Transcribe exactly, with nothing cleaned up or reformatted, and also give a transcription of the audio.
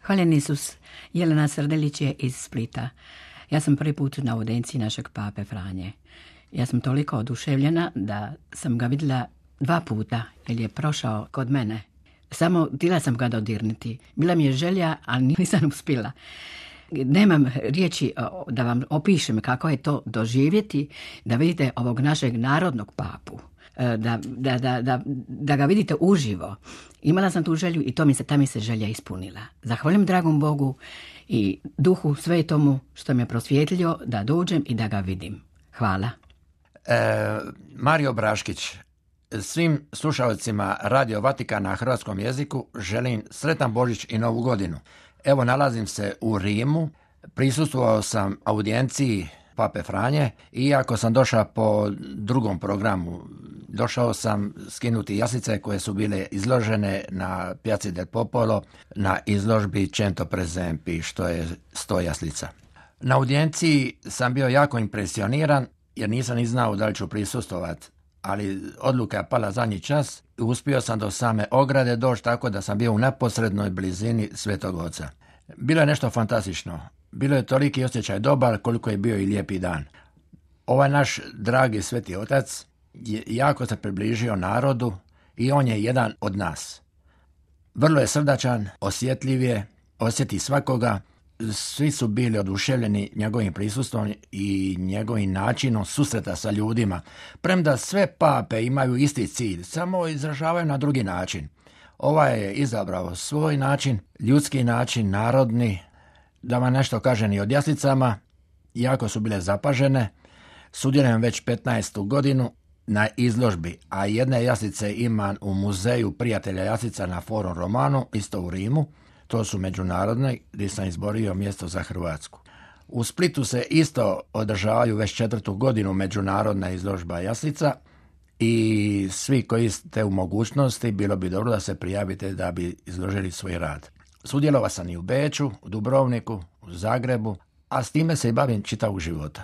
Hvaljen Isus, Jelena Srdelić je iz Splita. Ja sam prvi put na audenciji našeg pape Franje. Ja sam toliko oduševljena da sam ga vidjela dva puta, jer je prošao kod mene. Samo htjela sam ga dodirnuti. Bila mi je želja, ali nisam uspjela. Nemam riječi da vam opišem kako je to doživjeti, da vidite ovog našeg narodnog papu. Da, da, da, da, da ga vidite uživo. Imala sam tu želju i to mi se, ta mi se želja ispunila. Zahvaljujem dragom Bogu i Duhu Svetomu što me prosvjetlio da dođem i da ga vidim. Hvala. E, Mario Braškić, svim slušalcima Radio Vatikana na hrvatskom jeziku želim sretan Božić i Novu godinu. Evo, nalazim se u Rimu, prisustvovao sam audijenciji Pape Franje, iako sam došao po drugom programu. Došao sam skinuti jaslice koje su bile izložene na Piazzi del Popolo na izložbi Cento Presempi, što je sto jaslica. Na audijenciji sam bio jako impresioniran jer nisam ni znao da li ću prisustvovati, ali odluka je pala zadnji čas i uspio sam do same ograde doći tako da sam bio u neposrednoj blizini Svetog Oca. Bilo je nešto fantastično. Bilo je toliki osjećaj dobar koliko je bio i lijepi dan. Ovaj naš dragi Sveti Otac je jako se približio narodu i on je jedan od nas. Vrlo je srdačan, osjetljiv je, osjeti svakoga. Svi su bili oduševljeni njegovim prisustvom i njegovim načinom susreta sa ljudima. Premda sve pape imaju isti cilj, samo izražavaju na drugi način. Ovaj je izabrao svoj način, ljudski način, narodni. Da vam nešto kažem i o jaslicama, jako su bile zapažene. Sudjelujem već petnaestu godinu na izložbi, a jedne jaslice imam u muzeju prijatelja jaslica na Forum Romanu, isto u Rimu. To su međunarodne, gdje sam izborio mjesto za Hrvatsku. U Splitu se isto održavaju već četvrtu godinu međunarodna izložba jaslica i svi koji ste u mogućnosti, bilo bi dobro da se prijavite da bi izložili svoj rad. Sudjelovao sam i u Beču, u Dubrovniku, u Zagrebu, a s time se i bavim čitavog života.